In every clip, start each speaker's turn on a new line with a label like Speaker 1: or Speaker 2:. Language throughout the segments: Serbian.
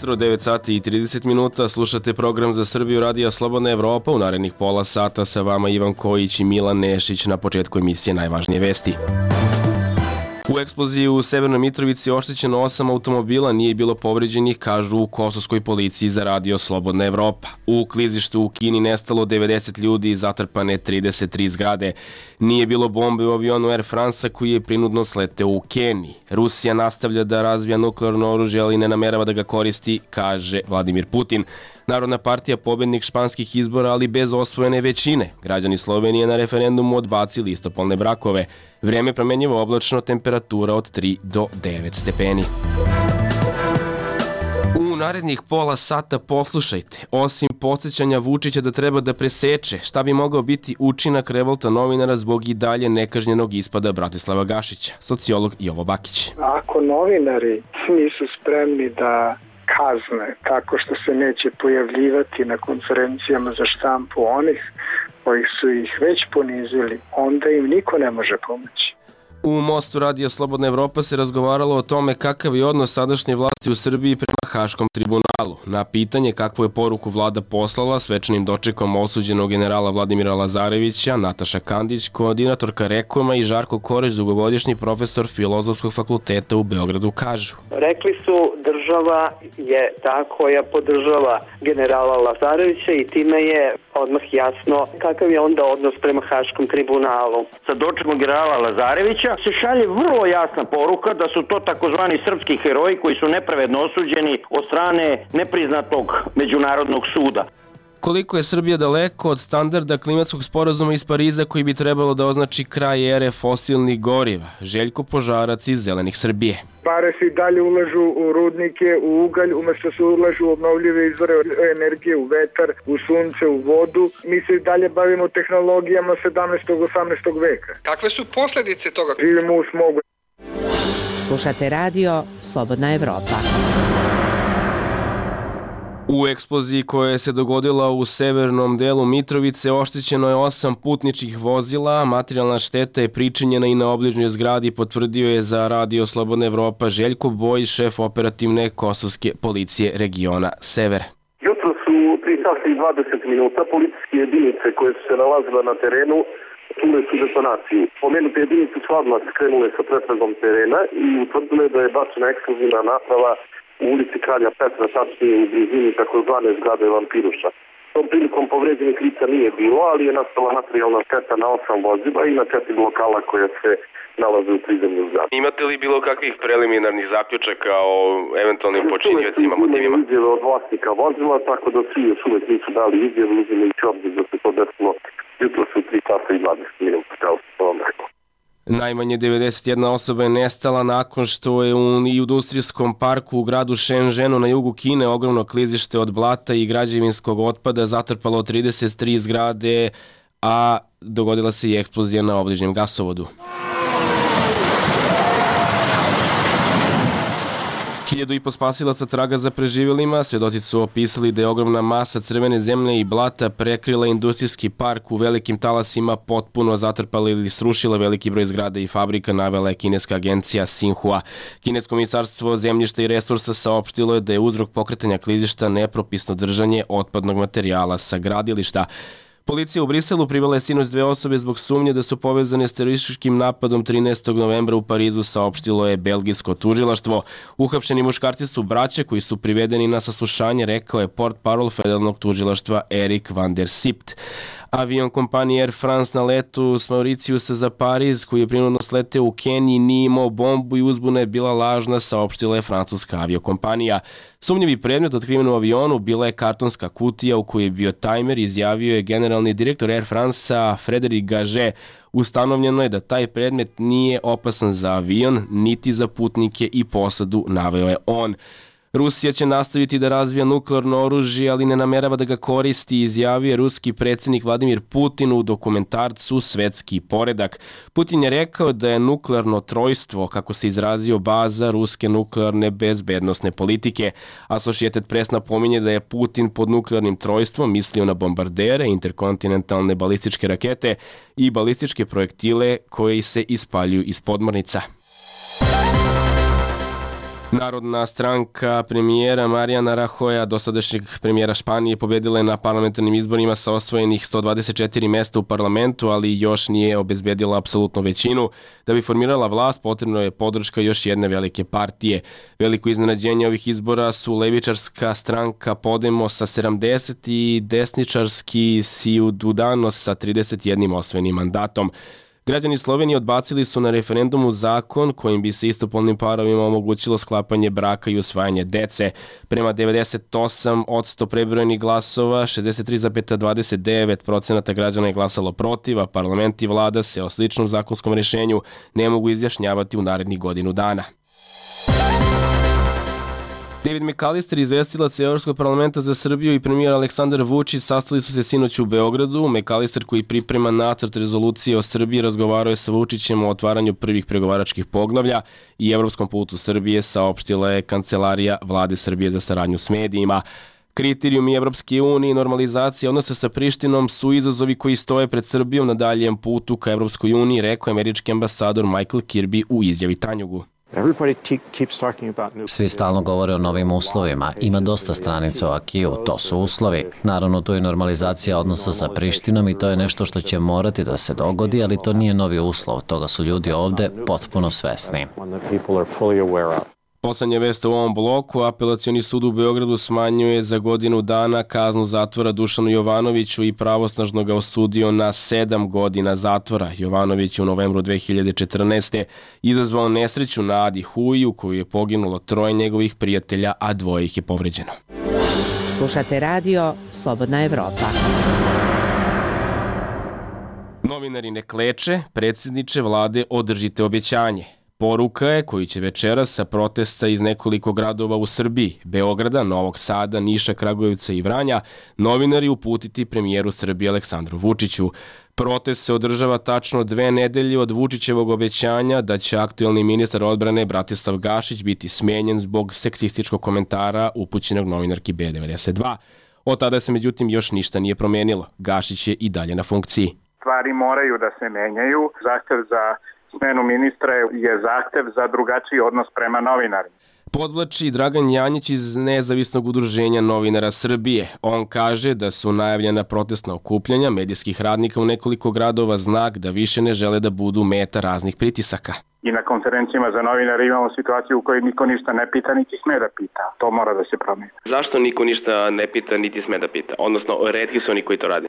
Speaker 1: jutro, 9 sati i 30 minuta, slušate program za Srbiju Radija Slobodna Evropa. U narednih pola sata sa vama Ivan Kojić i Milan Nešić. Na početku emisije najvažnije vesti. U eksploziji u Severnoj Mitrovici oštećeno 8 automobila, nije bilo povređenih, kažu u kosovskoj policiji za Radio Slobodna Evropa. U klizištu u Kini nestalo 90 ljudi i zatrpane 33 zgrade. Nije bilo bombe u avionu Air France koji je prinudno sleteo u Keniji. Rusija nastavlja da razvija nuklearno oružje, ali ne namerava da ga koristi, kaže Vladimir Putin. Narodna partija pobednik španskih izbora, ali bez osvojene većine. Građani Slovenije na referendumu odbacili istopolne brakove. Vreme promenjivo oblačno, temperatura od 3 do 9 stepeni. U narednih pola sata poslušajte, osim podsjećanja Vučića da treba da preseče, šta bi mogao biti učinak revolta novinara zbog i dalje nekažnjenog ispada Bratislava Gašića, sociolog Jovo Bakić.
Speaker 2: Ako novinari nisu spremni da kazne tako što se neće pojavljivati na konferencijama za štampu onih koji su ih već ponizili, onda im niko ne može pomoći.
Speaker 1: U Mostu Radio Slobodna Evropa se razgovaralo o tome kakav je odnos sadašnje vlasti u Srbiji prema Haškom tribunalu. Na pitanje kakvu je poruku vlada poslala svečanim dočekom osuđenog generala Vladimira Lazarevića, Nataša Kandić, koordinatorka Rekoma i Žarko Koreć, dugogodišnji profesor Filozofskog fakulteta u Beogradu, kažu.
Speaker 3: Rekli su država je ta koja podržava generala Lazarevića i time je odmah jasno kakav je onda odnos prema Haškom tribunalu.
Speaker 4: Sa dočekom generala Lazarevića se šalje vrlo jasna poruka da su to takozvani srpski heroji koji su nepravedno osuđeni od strane nepriznatog međunarodnog suda.
Speaker 1: Koliko je Srbija daleko od standarda klimatskog sporazuma iz Pariza koji bi trebalo da označi kraj ere fosilnih goriva? Željko Požarac iz Zelenih Srbije.
Speaker 2: Pare se i dalje ulažu u rudnike, u ugalj, umjesto se ulažu u obnovljive izvore energije, u vetar, u sunce, u vodu. Mi se i dalje bavimo tehnologijama 17. 18. veka.
Speaker 5: Kakve su posljedice toga?
Speaker 2: Živimo u smogu.
Speaker 6: Slušate radio Slobodna Evropa.
Speaker 1: U eksploziji koja se dogodila u severnom delu Mitrovice oštećeno je 8 putničkih vozila, materijalna šteta je pričinjena i na obližnjoj zgradi, potvrdio je za Radio Slobodna Evropa Željko Boj, šef operativne kosovske policije regiona Sever.
Speaker 7: Jutro su 3 sata i 20 minuta policijske jedinice koje su se nalazile na terenu čule su detonaciju. Pomenute jedinice su odmah skrenule sa pretragom terena i utvrdile da je bačena eksplozivna naprava u ulici Kralja Petra, tačnije u blizini takozvane zgrade Vampiruša. Tom prilikom povređenih lica nije bilo, ali je nastala materijalna šteta na 8 vozila i na 4 lokala koja se nalaze u prizemlju zgrade.
Speaker 1: Imate li bilo kakvih preliminarnih zaključaka o eventualnim počinjacima, motivima?
Speaker 7: Izjave od vlasnika vozila, tako da svi još uvek nisu dali izjave, uzimajući obzir da se to desilo jutro su 3 sata i 20 minuta, kao što vam rekao.
Speaker 1: Najmanje 91 osoba je nestala nakon što je u industrijskom parku u gradu Shenzhenu na jugu Kine ogromno klizište od blata i građevinskog otpada zatrpalo 33 zgrade, a dogodila se i eksplozija na obližnjem gasovodu. 1500 spasilaca traga za preživjelima, svedoci su opisali da je ogromna masa crvene zemlje i blata prekrila industrijski park u velikim talasima, potpuno zatrpala ili srušila veliki broj zgrada i fabrika, navela je kineska agencija Xinhua. Kinesko ministarstvo zemljišta i resursa saopštilo je da je uzrok pokretanja klizišta nepropisno držanje otpadnog materijala sa gradilišta. Policija u Briselu privela je sinoć 2 osobe zbog sumnje da su povezane s terorističkim napadom 13. novembra u Parizu, saopštilo je belgijsko tužilaštvo. Uhapšeni muškarci su braća koji su privedeni na saslušanje, rekao je portparol federalnog tužilaštva Erik van der Sipt. Avion kompanije Air France na letu s Mauricijusa za Pariz, koji je prinudno sleteo u Keniji, nije imao bombu i uzbuna je bila lažna, saopštila je francuska aviokompanija. Sumnjivi predmet otkriven u avionu bila je kartonska kutija u kojoj je bio tajmer, izjavio je generalni direktor Air France-a Frédéric Gagé. Ustanovljeno je da taj predmet nije opasan za avion, niti za putnike i posadu, naveo je on. Rusija će nastaviti da razvija nuklearno oružje, ali ne namerava da ga koristi, izjavio je ruski predsjednik Vladimir Putin u dokumentarcu Svetski poredak. Putin je rekao da je nuklearno trojstvo, kako se izrazio, baza ruske nuklearne bezbednosne politike. Associated Press napominje da je Putin pod nuklearnim trojstvom mislio na bombardere, interkontinentalne balističke rakete i balističke projektile koji se ispaljuju iz podmornica. Narodna stranka premijera Mariana Rajoja, dosadašnjeg premijera Španije, pobjedila je na parlamentarnim izborima sa osvojenih 124 mesta u parlamentu, ali još nije obezbedila apsolutnu većinu. Da bi formirala vlast, potrebno je podrška još jedne velike partije. Veliko iznenađenje ovih izbora su levičarska stranka Podemos sa 70 i desničarski Ciudadanos sa 31 osvojenim mandatom. Građani Slovenije odbacili su na referendumu zakon kojim bi se istopolnim parovima omogućilo sklapanje braka i usvajanje dece. Prema 98% prebrojenih glasova, 63,29% građana je glasalo protiv, a parlament i vlada se o sličnom zakonskom rješenju ne mogu izjašnjavati u narednih godinu dana. David McAllister, izvestilac Evropskog parlamenta za Srbiju, i premijer Aleksandar Vučić sastali su se sinoć u Beogradu. McAllister, koji priprema nacrt rezolucije o Srbiji, razgovarao je sa Vučićem o otvaranju prvih pregovaračkih poglavlja i evropskom putu Srbije, saopštila je Kancelarija Vlade Srbije za saradnju s medijima. Kriterijumi Evropske unije i normalizacija odnosa sa Prištinom su izazovi koji stoje pred Srbijom na daljem putu ka Evropskoj uniji, rekao američki ambasador Michael Kirby u izjavi Tanjugu.
Speaker 5: Svi stalno govore o novim uslovima. Ima dosta stranica o Akiju, to su uslovi. Naravno, to je normalizacija odnosa sa Prištinom i to je nešto što će morati da se dogodi, ali to nije novi uslov. Toga su ljudi ovde potpuno svesni.
Speaker 1: Poslednja vest u ovom bloku: Apelacioni sud u Beogradu smanjuje za godinu dana kaznu zatvora Dušanu Jovanoviću i pravosnažno ga osudio na 7 godina zatvora. Jovanović je u novembru 2014. izazvao nesreću na Adi Huji u kojoj je poginulo 3 njegovih prijatelja, a 2 ih je povređeno.
Speaker 6: Slušate radio Slobodna Evropa.
Speaker 1: Novinari ne kleče, predsjedniče vlade, održite obećanje. Poruka je koju će večeras sa protesta iz nekoliko gradova u Srbiji, Beograda, Novog Sada, Niša, Kragujevca i Vranja, novinari uputiti premijeru Srbije Aleksandru Vučiću. Protest se održava tačno 2 nedelje od Vučićevog obećanja da će aktuelni ministar odbrane Bratislav Gašić biti smenjen zbog seksističkog komentara upućenog novinarki B92. Od tada se međutim još ništa nije promenilo. Gašić je i dalje na funkciji.
Speaker 8: Stvari moraju da se menjaju. Zahtev za smenu ministra je zahtev za drugačiji odnos prema novinarima.
Speaker 1: Podvlači Dragan Janjić iz Nezavisnog udruženja novinara Srbije. On kaže da su najavljena protestna okupljanja medijskih radnika u nekoliko gradova znak da više ne žele da budu meta raznih pritisaka.
Speaker 8: I na konferencijama za novinare imamo situaciju u kojoj niko ništa ne pita, niti sme da pita. To mora da se promeni.
Speaker 1: Zašto niko ništa ne pita, niti sme da pita? Odnosno, retki su oni koji to rade.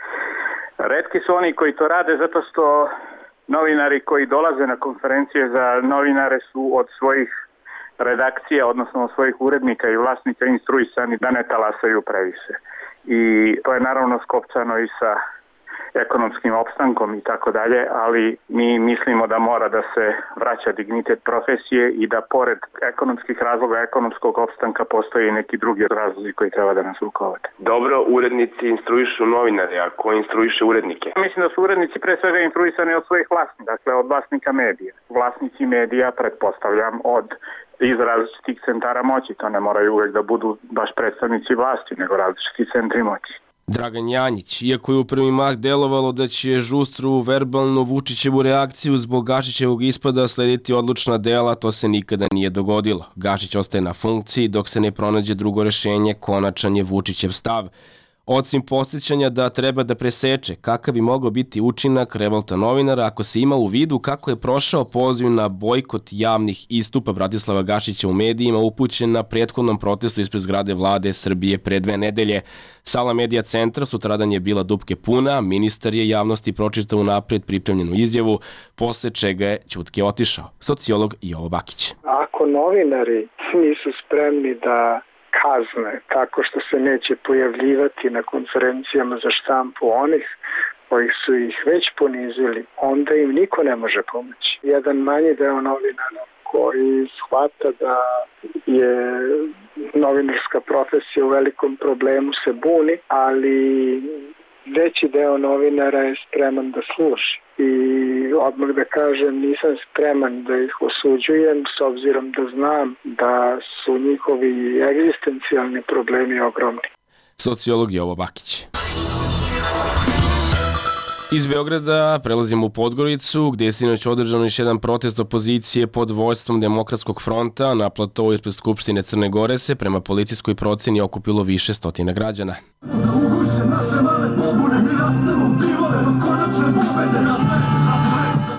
Speaker 8: Retki su oni koji to rade zato što novinari koji dolaze na konferencije za novinare su od svojih redakcija, odnosno od svojih urednika i vlasnika instruisani da ne talasaju previše. I to je naravno skopčano i sa ekonomskim opstankom i tako dalje, ali mi mislimo da mora da se vraća dignitet profesije i da pored ekonomskih razloga, ekonomskog opstanka postoji neki drugi razlozi koji treba da nas rukovode.
Speaker 9: Dobro, urednici instruišu novinare, a ko instruiše urednike?
Speaker 8: Mislim da su urednici pre svega instruisani od svojih vlasnika, dakle od vlasnika medija. Vlasnici medija, pretpostavljam, iz različitih centara moći. To ne moraju uvek da budu baš predstavnici vlasti, nego različiti centri moći.
Speaker 1: Dragan Janjić, iako je u prvi mah delovalo da će žustru verbalnu Vučićevu reakciju zbog Gašićevog ispada slediti odlučna dela, to se nikada nije dogodilo. Gašić ostaje na funkciji dok se ne pronađe drugo rešenje, konačan je Vučićev stav. Osim podsjećanja da treba da preseče kakav bi mogao biti učinak revolta novinara ako se ima u vidu kako je prošao poziv na bojkot javnih istupa Bratislava Gašića u medijima upućen na prethodnom protestu ispred zgrade Vlade Srbije pre 2 nedelje. Sala Medija centra sutradan je bila dupke puna, ministar je javnosti pročitao unaprijed pripremljenu izjavu, posle čega je ćutke otišao. Sociolog Jovo Bakić.
Speaker 2: Ako novinari nisu spremni da kazne tako što se neće pojavljivati na konferencijama za štampu onih koji su ih već ponizili, onda im niko ne može pomoći. Jedan manji deo novinara koji shvata da je novinarska profesija u velikom problemu se buni, ali veći deo novinara je spreman da sluši. I odmah da kažem, nisam spreman da ih osuđujem s obzirom da znam da su njihovi egzistencijalni problemi ogromni.
Speaker 1: Sociolog Jovo Bakić. Iz Beograda prelazimo u Podgoricu, gdje je sinoć održan još jedan protest opozicije pod vođstvom Demokratskog fronta. Na platovu ispred Skupštine Crne Gore se prema policijskoj procjeni okupilo više stotina građana.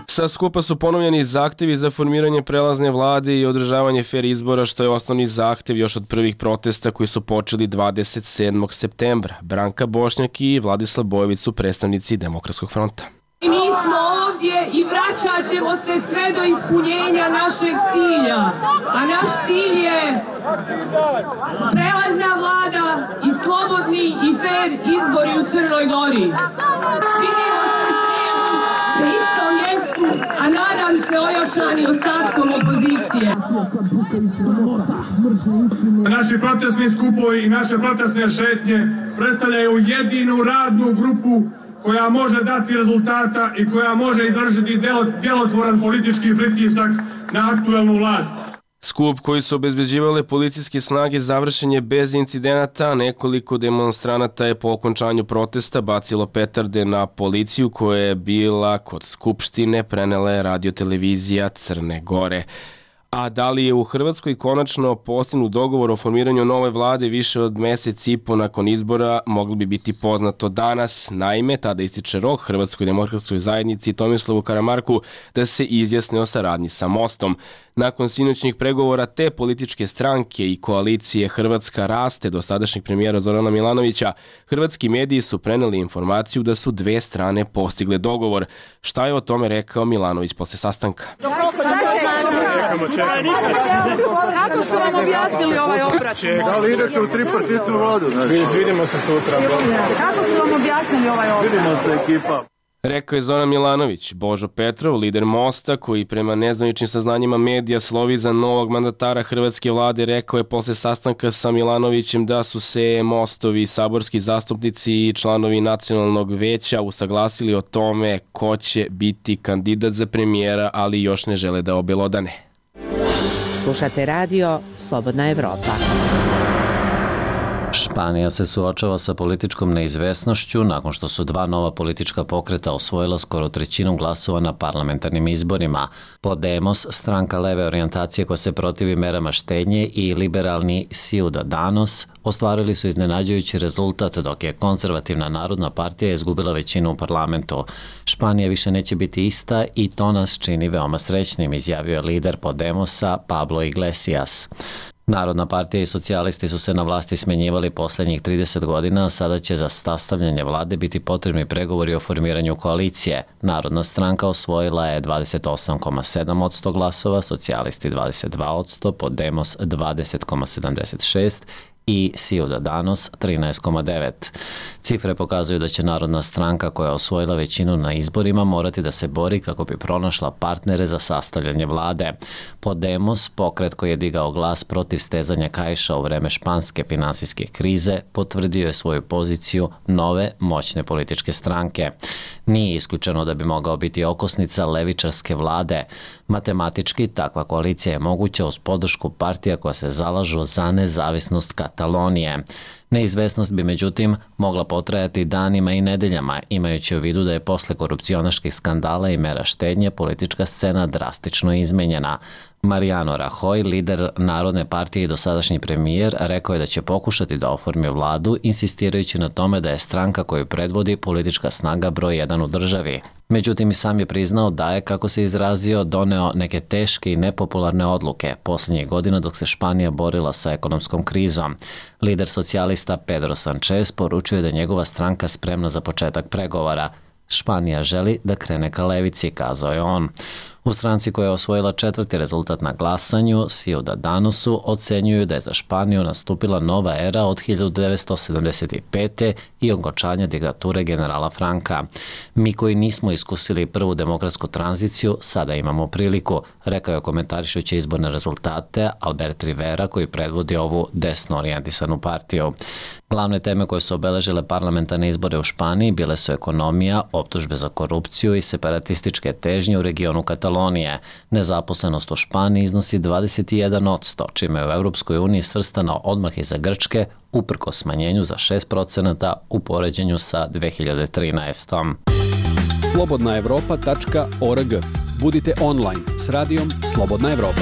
Speaker 1: Sa skupa su ponovljeni zahtevi za formiranje prelazne vlade i održavanje fer izbora, što je osnovni zahtev još od prvih protesta koji su počeli 27. septembra. Branka Bošnjak i Vladislav Bojović su predstavnici Demokratskog fronta.
Speaker 10: Mi smo ovdje i vraćat ćemo se sve do ispunjenja našeg cilja. A naš cilj je prelazna vlada i slobodni i fer izbori u Crnoj Gori. Vidimo se na istom mjestu, a nadam se ojačani ostatkom opozicije.
Speaker 11: Naši protestni skupovi i naše protestne šetnje predstavljaju jedinu radnu grupu koja može dati rezultata i koja može izvršiti djelotvoran politički pritisak na aktuelnu vlast.
Speaker 1: Skup koji su obezbeđivale policijske snage završen je bez incidenata. Nekoliko demonstranata je po okončanju protesta bacilo petarde na policiju koja je bila kod Skupštine, prenela je radiotelevizija Crne Gore. A da li je u Hrvatskoj konačno postignut dogovor o formiranju nove vlade više od mjesec i po nakon izbora, moglo bi biti poznato danas. Naime, tada ističe rok Hrvatskoj demokratskoj zajednici Tomislavu Karamarku da se izjasne o saradnji sa Mostom. Nakon sinoćnih pregovora te političke stranke i koalicije Hrvatska raste do sadašnjeg premijera Zorana Milanovića, hrvatski mediji su preneli informaciju da su dve strane postigle dogovor. Šta je o tome rekao Milanović posle sastanka?
Speaker 10: Kako su vam objasnili ovaj obračun?
Speaker 11: Da li idete u tripartitnu vladu? Vidimo se sutra.
Speaker 10: Kako su vam objasnili ovaj obračun?
Speaker 11: Vidimo se ekipa.
Speaker 1: Rekao je Zoran Milanović. Božo Petrov, lider Mosta, koji prema nezvaničnim saznanjima medija slovi za novog mandatara hrvatske vlade, rekao je posle sastanka sa Milanovićem da su se Mostovi saborski zastupnici i članovi nacionalnog veća usaglasili o tome ko će biti kandidat za premijera, ali još ne žele da obelodane.
Speaker 6: Slušate radio Slobodna Evropa.
Speaker 5: Španija se suočava sa političkom neizvesnošću nakon što su dva nova politička pokreta osvojila skoro trećinu glasova na parlamentarnim izborima. Podemos, stranka leve orijentacije koja se protivi merama štednje, i liberalni Ciudadanos ostvarili su iznenađujući rezultat, dok je konzervativna Narodna partija izgubila većinu u parlamentu. Španija više neće biti ista i to nas čini veoma srećnim, izjavio je lider Podemosa Pablo Iglesias. Narodna partija i socijalisti su se na vlasti smenjivali posljednjih 30 godina, a sada će za sastavljanje vlade biti potrebni pregovori o formiranju koalicije. Narodna stranka osvojila je 28,7% glasova, socijalisti 22%, Podemos 20,76% i Ciudadanos 13,9%. Cifre pokazuju da će Narodna stranka, koja je osvojila većinu na izborima, morati da se bori kako bi pronašla partnere za sastavljanje vlade. Podemos, pokret koji je digao glas protiv stezanja kaiša u vreme španske finansijske krize, potvrdio je svoju poziciju nove, moćne političke stranke. Nije isključeno da bi mogao biti okosnica levičarske vlade. Matematički, takva koalicija je moguća uz podršku partija koja se zalažu za nezavisnost Katalonije. Neizvesnost bi međutim mogla potrajati danima i nedeljama, imajući u vidu da je posle korupcionaških skandala i mera štednje politička scena drastično izmenjena. Mariano Rajoy, lider Narodne partije i dosadašnji premijer, rekao je da će pokušati da oformi vladu, insistirajući na tome da je stranka koju predvodi politička snaga broj 1 u državi. Međutim, i sam je priznao da je, kako se izrazio, doneo neke teške i nepopularne odluke posljednjih godina dok se Španija borila sa ekonomskom krizom. Lider socijalista Pedro Sanchez poručuje da je njegova stranka spremna za početak pregovora. Španija želi da krene ka levici, kazao je on. U stranci koja je osvojila četvrti rezultat na glasanju, Ciudadanosu, ocenjuju da je za Španiju nastupila nova era od 1975. i okončanja diktature generala Franka. Mi koji nismo iskusili prvu demokratsku tranziciju, sada imamo priliku, rekao je komentarišući izborne rezultate Albert Rivera, koji predvodi ovu desno orijentisanu partiju. Glavne teme koje su obeležile parlamentarne izbore u Španiji bile su ekonomija, optužbe za korupciju i separatističke težnje u regionu Katalonije. Nezaposlenost u Španiji iznosi 21%, čime je u Europskoj uniji svrstano odmah iza Grčke, uprkos smanjenju za 6% u poređenju sa 2013.
Speaker 12: slobodnaevropa.org. Budite online s radijom Slobodna Evropa.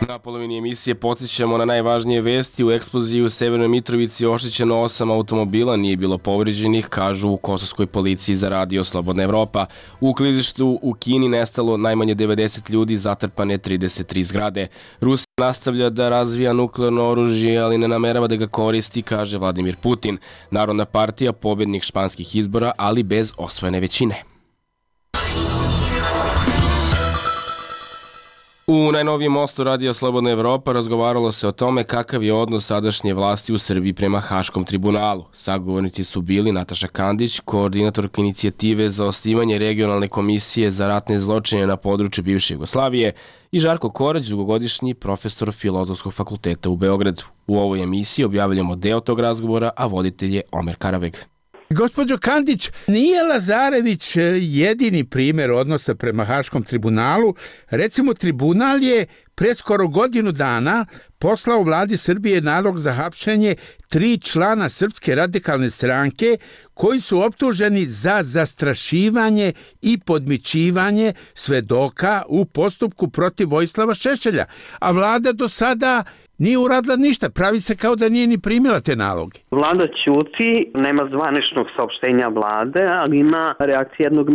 Speaker 1: Na polovini emisije podsjećamo na najvažnije vesti. U eksploziji u Severnoj Mitrovici oštećeno 8 automobila, nije bilo povređenih, kažu u kosovskoj policiji za radio Slobodna Evropa. U klizištu u Kini nestalo najmanje 90 ljudi, zatrpane 33 zgrade. Rusija nastavlja da razvija nuklearno oružje, ali ne namerava da ga koristi, kaže Vladimir Putin. Narodna partija pobjednik španskih izbora, ali bez osvojene većine. U najnovijem mostu radija Slobodna Evropa razgovaralo se o tome kakav je odnos sadašnje vlasti u Srbiji prema Haškom tribunalu. Sagovornici su bili Nataša Kandić, koordinatorka inicijative za osnivanje regionalne komisije za ratne zločine na području bivše Jugoslavije, i Žarko Korać, dugogodišnji profesor Filozofskog fakulteta u Beogradu. U ovoj emisiji objavljamo deo tog razgovora, a voditelj je Omer Karaveg.
Speaker 13: Gospođo Kandić, nije Lazarević jedini primjer odnosa prema Haškom tribunalu. Recimo, tribunal je pre skoro godinu dana poslao vladi Srbije nalog za hapšenje 3 člana Srpske radikalne stranke koji su optuženi za zastrašivanje i podmićivanje svedoka u postupku protiv Vojislava Šešelja. A vlada do sada nije uradila ništa, pravi se kao da nije ni primila te naloge.
Speaker 3: Vlada ćuti, nema zvaničnog saopštenja vlade, ali ima reakcija jednog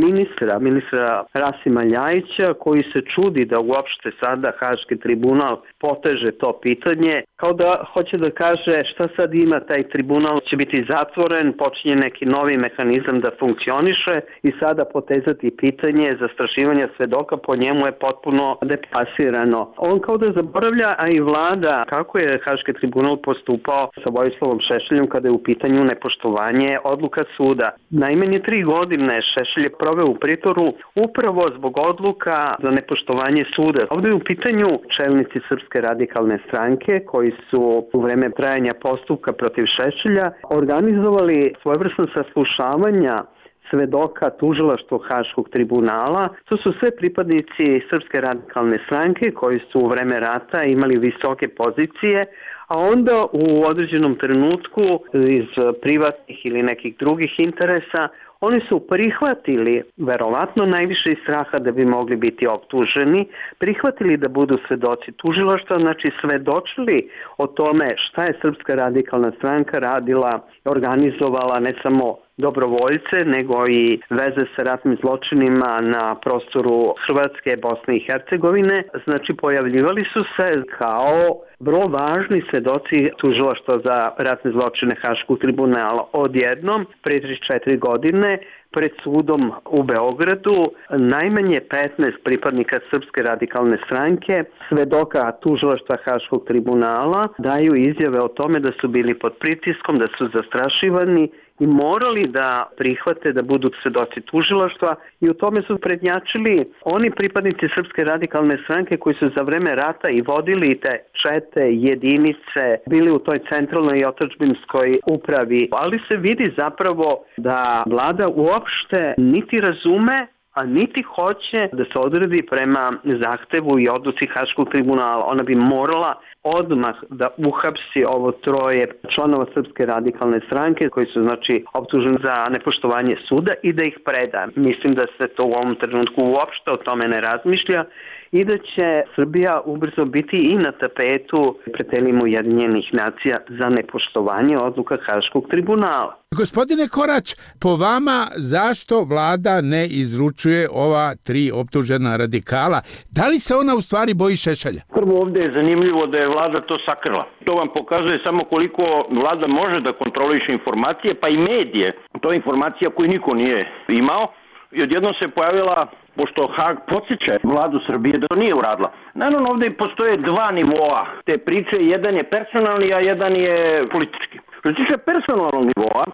Speaker 3: ministra Rasima Ljajića, koji se čudi da uopšte sada Haški tribunal poteže to pitanje, kao da hoće da kaže šta sad ima taj tribunal, će biti zatvoren, počinje neki novi mehanizam da funkcioniše i sada potezati pitanje zastrašivanja svedoka po njemu je potpuno deplasirano. On kao da zaboravlja, a i vlada, kako je Haški tribunal postupao sa Vojislavom Šešeljem kada je u pitanju nepoštovanje odluka suda. Najmanje 3 godine Šešelj je proveo u pritvoru upravo zbog odluka za nepoštovanje suda. Ovdje je u pitanju čelnici Srpske radikalne stranke koji su u vreme trajanja postupka protiv Šešelja organizovali svojevrsno saslušavanja svedoka tužilaštva Haškog tribunala. To su sve pripadnici Srpske radikalne stranke koji su u vreme rata imali visoke pozicije, a onda u određenom trenutku iz privatnih ili nekih drugih interesa oni su prihvatili, verovatno najviše iz straha da bi mogli biti optuženi, prihvatili da budu svedoci tužilaštva, znači svedočili o tome šta je Srpska radikalna stranka radila, organizovala ne samo dobrovoljce, nego i veze sa ratnim zločinima na prostoru Hrvatske, Bosne i Hercegovine. Znači, pojavljivali su se kao vrlo važni svedoci tužilaštva za ratne zločine Haškog tribunala. Odjednom, pre 34 godine, pred sudom u Beogradu, najmanje 15 pripadnika Srpske radikalne stranke, svedoka tužilaštva Haškog tribunala, daju izjave o tome da su bili pod pritiskom, da su zastrašivani i morali da prihvate da budu svedoci tužilaštva i u tome su prednjačili oni pripadnici Srpske radikalne stranke koji su za vreme rata i vodili te čete, jedinice, bili u toj centralnoj i otadžbinskoj upravi. Ali se vidi zapravo da vlada uopšte niti razume, a niti hoće da se odredi prema zahtevu i odluci Haškog tribunala. Ona bi morala odmah da uhapsi ovo 3 članova Srpske radikalne stranke koji su znači optuženi za nepoštovanje suda i da ih preda. Mislim da se to u ovom trenutku uopšte o tome ne razmišlja i da će Srbija ubrzo biti i na tapetu pred telima Ujedinjenih nacija za nepoštovanje odluka Haškog tribunala.
Speaker 13: Gospodine Korać, po vama zašto vlada ne izručuje ova 3 optužena radikala? Da li se ona u stvari boji Šešelja?
Speaker 4: Prvo, ovdje je zanimljivo da je vlada to sakrila. To vam pokazuje samo koliko vlada može da kontroliše informacije, pa i medije. To je informacija koju niko nije imao. I odjednom se pojavila, pošto Hag podsjeća vladu Srbije da to nije uradila. Naravno, ovdje postoje 2 nivoa te priče, jedan je personalni, a jedan je politički. Što se tiče personalnog nivoa,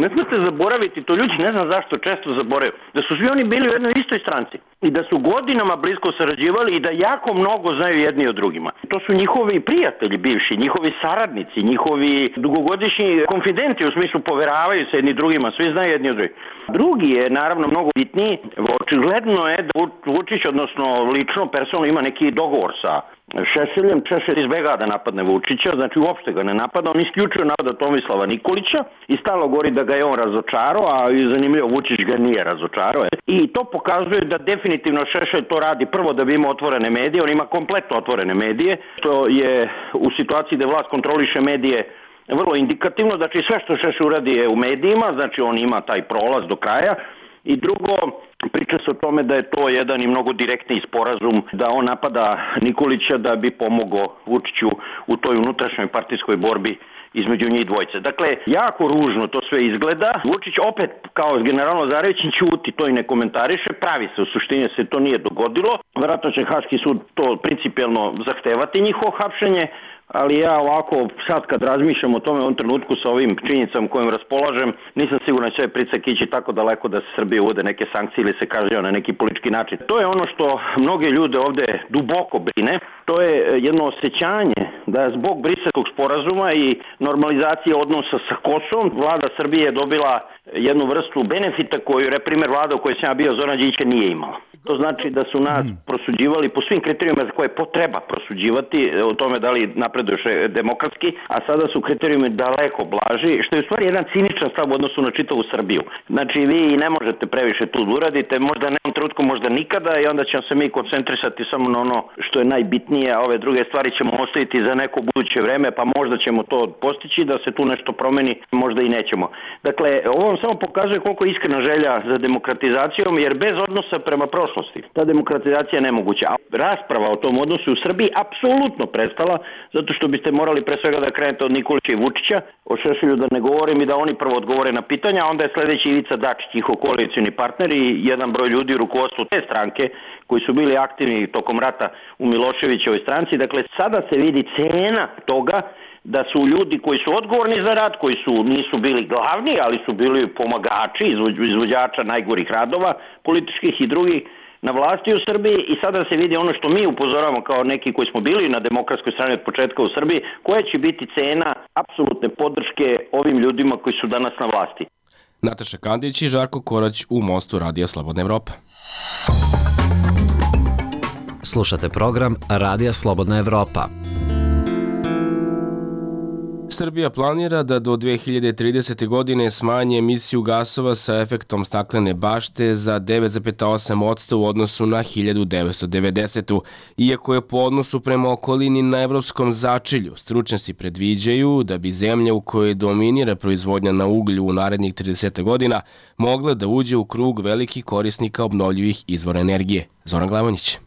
Speaker 4: ne smete zaboraviti, to ljudi ne znam zašto često zaboravaju, da su svi oni bili u jednoj istoj stranci i da su godinama blisko sarađivali i da jako mnogo znaju jedni od drugima. To su njihovi prijatelji bivši, njihovi saradnici, njihovi dugogodišnji konfidenti, u smislu poveravaju se jedni drugima, svi znaju jedni od drugih. Drugi je naravno mnogo bitniji, očigledno je da Vučić, odnosno lično, personalno ima neki dogovor sa Šešeljem. Šešelj izbegava da napadne Vučića, znači uopšte ga ne napada, on isključuje napada Tomislava Nikolića i stalno govori da ga je on razočarao, a zanimljivo Vučić ga nije razočarao. I to pokazuje da definitivno Šešelj to radi prvo da bi imao otvorene medije, on ima kompletno otvorene medije, što je u situaciji da vlast kontroliše medije vrlo indikativno, znači sve što Šešelj uradi je u medijima, znači on ima taj prolaz do kraja. I drugo, priča se o tome da je to jedan i mnogo direktni sporazum, da on napada Nikolića da bi pomogao Vučiću u toj unutrašnjoj partijskoj borbi između njih dvojice. Dakle, jako ružno to sve izgleda. Vučić opet, kao general Lazarević, ćuti, to i ne komentariše, pravi se, u suštini se to nije dogodilo. Vjerojatno će Haški sud to principijelno zahtevati njihovo hapšenje, ali ja ovako sad kad razmišljam o tome u ovom trenutku sa ovim činjenicama kojim raspolažem, nisam siguran da će pritisak ići tako daleko da se Srbije uvode neke sankcije ili se kaže na neki politički način. To je ono što mnoge ljude ovde duboko brine, to je jedno osjećanje da zbog Briselskog sporazuma i normalizacije odnosa sa Kosovom, vlada Srbije je dobila jednu vrstu benefita koju, primer vlada u kojoj sam ja bio, Zoran Đinđić, nije imala. To znači da su nas prosuđivali po svim kriterijima za koje potreba prosuđivati, o tome da li napreduješ demokratski, a sada su kriterijumi daleko blaži, što je u stvari jedan ciničan stav u odnosu na čitavu Srbiju. Znači vi ne možete previše tu da uradite, možda ne u trenutku, možda nikada, i onda ćemo se mi koncentrisati samo na ono što je najbitnije, a ove druge stvari ćemo ostaviti za neko buduće vreme, pa možda ćemo to postići da se tu nešto promeni, možda i nećemo. Dakle, ovo vam samo pokazuje koliko je iskrena želja za demokratizacijom, jer bez odnosa prema prošlosti ta demokratizacija je nemoguća. A rasprava o tom odnosu u Srbiji apsolutno prestala, zato što biste morali pre svega da krenete od Nikolića i Vučića, o Šešelju da ne govorim, i da oni prvo odgovore na pitanja, a onda je sledeći Ivica Dačić, njihov koalicioni partner i jedan broj ljudi u rukovodstvu te stranke koji su bili aktivni tokom rata u Miloševićevoj stranci. Dakle, sada se vidi cena toga da su ljudi koji su odgovorni za rat, koji nisu bili glavni, ali su bili pomagači, izvođača najgorih radova, političkih i drugih, na vlasti u Srbiji, i sada se vidi ono što mi upozoravamo kao neki koji smo bili na demokratskoj strani od početka u Srbiji, koja će biti cena apsolutne podrške ovim ljudima koji su danas na vlasti.
Speaker 1: Nataša Kandić i Žarko Korać u Mostu Radija Slobodna Evropa.
Speaker 5: Slušate program Radija Slobodna Evropa.
Speaker 1: Srbija planira da do 2030. godine smanji emisiju gasova sa efektom staklene bašte za 9,8% u odnosu na 1990. Iako je po odnosu prema okolini na evropskom začelju, stručnjaci predviđaju da bi zemlja u kojoj dominira proizvodnja na uglju u narednih 30 godina mogla da uđe u krug velikih korisnika obnovljivih izvora energije. Zoran Glavonjić.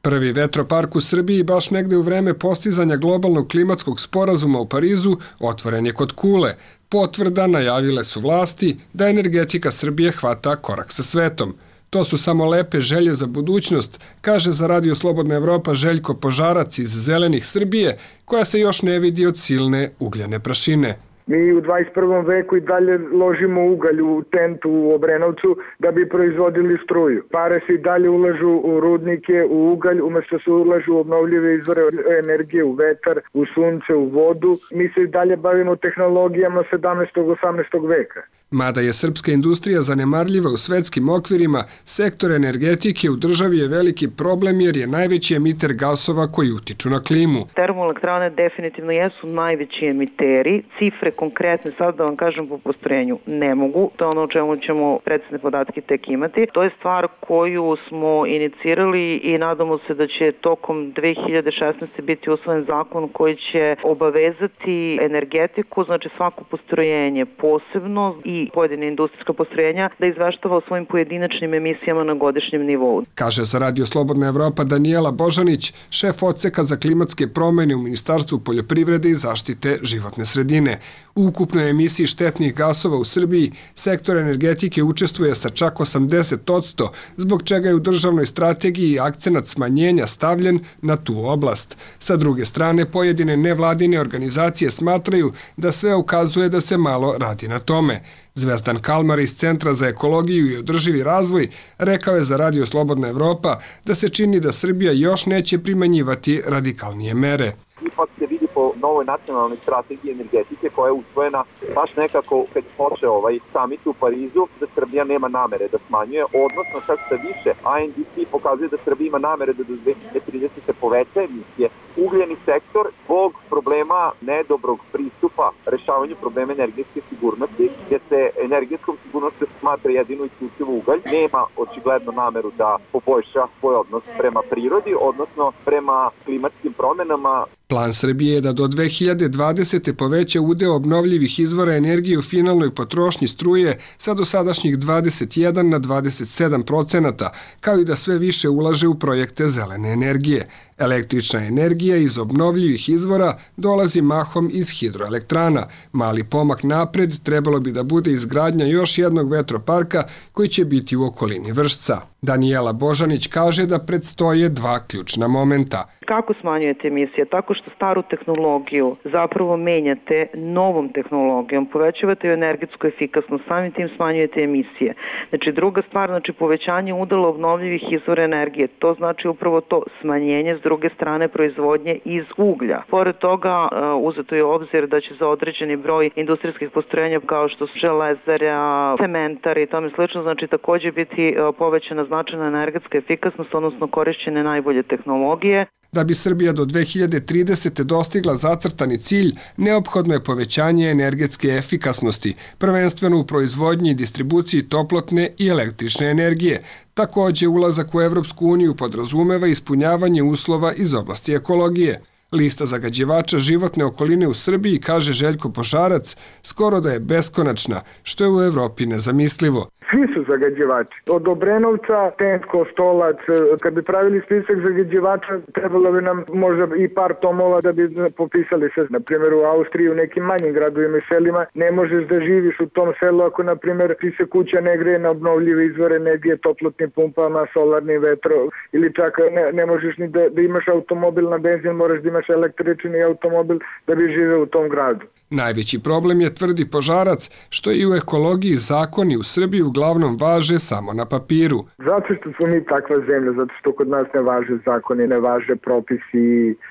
Speaker 14: Prvi vetropark u Srbiji baš negde u vreme postizanja globalnog klimatskog sporazuma u Parizu otvoren je kod Kule. Potvrda najavile su vlasti da energetika Srbije hvata korak sa svetom. To su samo lepe želje za budućnost, kaže za Radio Slobodna Evropa Željko Požarac iz Zelenih Srbije, koja se još ne vidi od silne ugljene prašine.
Speaker 2: Mi u 21. veku i dalje ložimo ugalj u tentu u Obrenovcu da bi proizvodili struju. Pare se i dalje ulažu u rudnike, u ugalj, umesto se ulažu u obnovljive izvore energije, u vetar, u sunce, u vodu. Mi se i dalje bavimo tehnologijama 17. 18. veka.
Speaker 14: Mada je srpska industrija zanemarljiva u svetskim okvirima, sektor energetike u državi je veliki problem jer je najveći emiter gasova koji utiču na klimu.
Speaker 15: Termoelektrane definitivno jesu najveći emiteri. Cifre konkretne, sad da vam kažem po postrojenju, ne mogu. To je ono o čemu ćemo precizne podatke tek imati. To je stvar koju smo inicirali i nadamo se da će tokom 2016. biti usvojen zakon koji će obavezati energetiku, znači svako postrojenje posebno i pojedine industrijska postrojenja da izveštava o svojim pojedinačnim emisijama na godišnjem nivou.
Speaker 14: Kaže za Radio Slobodna Evropa Danijela Božanić, šef odseka za klimatske promene u Ministarstvu poljoprivrede i zaštite životne sredine. U ukupnoj emisiji štetnih gasova u Srbiji sektor energetike učestvuje sa čak 80%, zbog čega je u državnoj strategiji akcenat smanjenja stavljen na tu oblast. Sa druge strane, pojedine nevladine organizacije smatraju da sve ukazuje da se malo radi na tome. Zvezdan Kalmar iz Centra za ekologiju i održivi razvoj rekao je za Radio Slobodna Evropa da se čini da Srbija još neće primenjivati radikalnije mere.
Speaker 16: Ipak se vidi po novoj nacionalnoj strategiji energetike koja je usvojena baš nekako kad počeo ovaj samit u Parizu, da Srbija nema namere da smanjuje, odnosno čak sa više INDC pokazuje da Srbija ima namere da do 2030 se poveća emisije. Ugljeni sektor zbog problema nedobrog pristupa rešavanju problema energetske sigurnosti, gdje se energetskom sigurnosti smatra jedino isključivo ugalj, nema očigledno nameru da poboljša svoj odnos prema prirodi, odnosno prema klimatskim promenama.
Speaker 14: Plan Srbije je da do 2020. poveća udeo obnovljivih izvora energije u finalnoj potrošnji struje sa dosadašnjih 21 na 27%, kao i da sve više ulaže u projekte zelene energije. Električna energija iz obnovljivih izvora dolazi mahom iz hidroelektrana. Mali pomak napred trebalo bi da bude izgradnja još jednog vetroparka koji će biti u okolini Vršca. Danijela Božanić kaže da predstoje dva ključna momenta.
Speaker 15: Kako smanjujete emisije? Tako što staru tehnologiju zapravo menjate novom tehnologijom, povećavate energetsku efikasnost, samim tim smanjujete emisije. Znači druga stvar, znači povećanje udela obnovljivih izvora energije, to znači upravo to smanjenje s druge strane proizvodnje iz uglja. Pored toga uzeto je obzir da će za određeni broj industrijskih postrojenja kao što su železara, cementari i tome slično, znači takođe biti povećana značajna energetska efikasnost, odnosno korišćene najbolje tehnologije.
Speaker 14: Da bi Srbija do 2030. dostigla zacrtani cilj, neophodno je povećanje energetske efikasnosti, prvenstveno u proizvodnji i distribuciji toplotne i električne energije. Takođe, ulazak u Evropsku uniju podrazumeva ispunjavanje uslova iz oblasti ekologije. Lista zagađivača životne okoline u Srbiji, kaže Željko Požarac, skoro da je beskonačna, što je u Evropi nezamislivo.
Speaker 2: Svi su zagađivači. Od Obrenovca, Tensko, Stolac, kad bi pravili spisak zagađivača, trebalo bi nam možda i par tomova da bi popisali sve. Na primjer, u Austriji, u nekim manjim gradovima i selima, ne možeš da živiš u tom selu ako, na primjer, ti se kuća ne greje na obnovljive izvore energije, toplotnim pumpama, solarnim vetro, ili čak ne možeš ni da imaš automobil na benzin, moraš da imaš električni automobil da bi živeo u tom gradu.
Speaker 14: Najveći problem je, tvrdi Požarac, što i u ekologiji zakoni u Srbiji uglavnom važe samo na papiru.
Speaker 2: Zato što smo mi takva zemlja, zato što kod nas ne važe zakoni, ne važe propisi.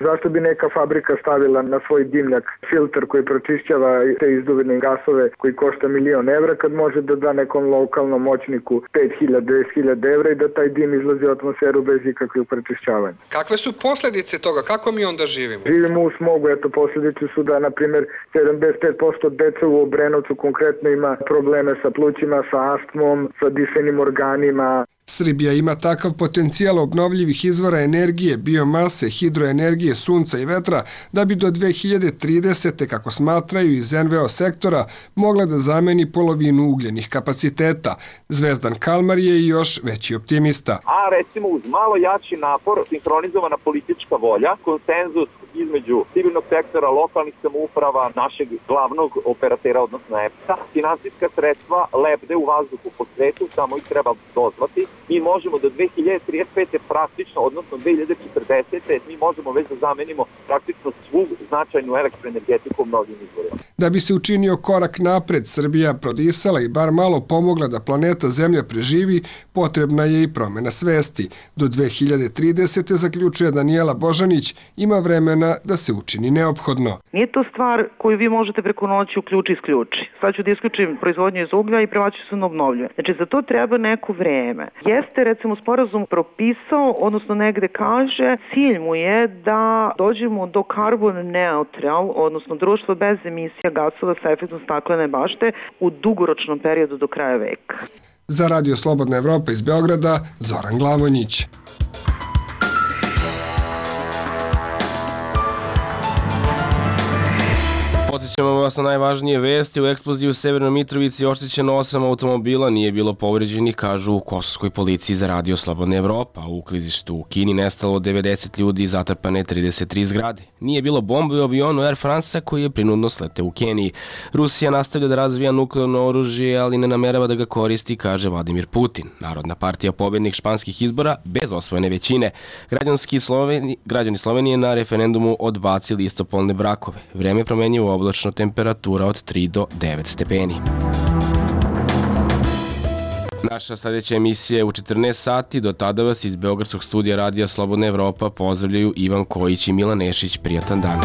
Speaker 2: Zašto bi neka fabrika stavila na svoj dimnjak filter koji pročišćava te izduvene gasove koji košta 1.000.000 evra, kad može da da nekom lokalnom moćniku 5.000-10.000 evra i da taj dim izlazi u atmosferu bez ikakvih prečišćavanja.
Speaker 14: Kakve su posljedice toga? Kako mi onda živimo?
Speaker 2: Živimo u smogu, eto posljedice su da, na primjer, 75% deca u Obrenovcu konkretno ima probleme sa plućima, sa astmom, sa dišenim organima.
Speaker 14: Srbija ima takav potencijal obnovljivih izvora energije, biomase, hidroenergije, sunca i vetra, da bi do 2030. kako smatraju iz NVO sektora, mogla da zameni polovinu ugljenih kapaciteta. Zvezdan Kalmar je još veći optimista.
Speaker 16: A recimo uz malo jači napor, sinhronizovana politička volja, konsenzus između civilnog sektora, lokalnih samouprava, našeg glavnog operatera, odnosno EPS-a, finansijska sredstva lebde u vazduhu po svetu, samo ih treba dozvati. Mi možemo do 2035. praktično, odnosno 2040. mi možemo već da zamenimo praktično svu značajnu elektroenergetiku obnovljivim izvorima.
Speaker 14: Da bi se učinio korak napred, Srbija prodisala i bar malo pomogla da planeta Zemlja preživi, potrebna je i promena svesti. Do 2030. zaključuje Danijela Božanić, ima vremena da se učini neophodno.
Speaker 15: Nije to stvar koju vi možete preko noći isključi. Sad ću da isključim proizvodnju iz uglja i prevaću se na obnovljive. Znači za to treba neko vreme. Jeste recimo sporazum propisao, odnosno negde kaže, cilj mu je da dođemo do carbon neutral, odnosno društvo bez emisija gasova sa efektom staklene bašte u dugoročnom periodu do kraja veka.
Speaker 14: Za Radio Slobodna Evropa iz Beograda, Zoran Glavonjić.
Speaker 1: Podsjećamo vas na najvažnije vesti. U eksploziji u Severnoj Mitrovici oštećeno 8 automobila, nije bilo povređenih, kažu u kosovskoj policiji za Radio Slobodna Evropa. U klizištu u Kini nestalo 90 ljudi i zatrpane 33 zgrade. Nije bilo bombe u avionu Air France-a koji je prinudno sleteo u Keniji. Rusija nastavlja da razvija nuklearno oružje, ali ne namerava da ga koristi, kaže Vladimir Putin. Narodna partija pobednik španskih izbora bez osvojene većine. Građani Slovenije na referendumu odbacili istopolne brakove. Vreme promenjivo oblačno, temperatura od 3 do 9 stepeni. Naša sljedeća emisija je u 14 sati. Do tada vas iz Beogradskog studija Radija Slobodna Evropa pozdravljaju Ivan Kojić i Milan Nešić. Prijatan dan.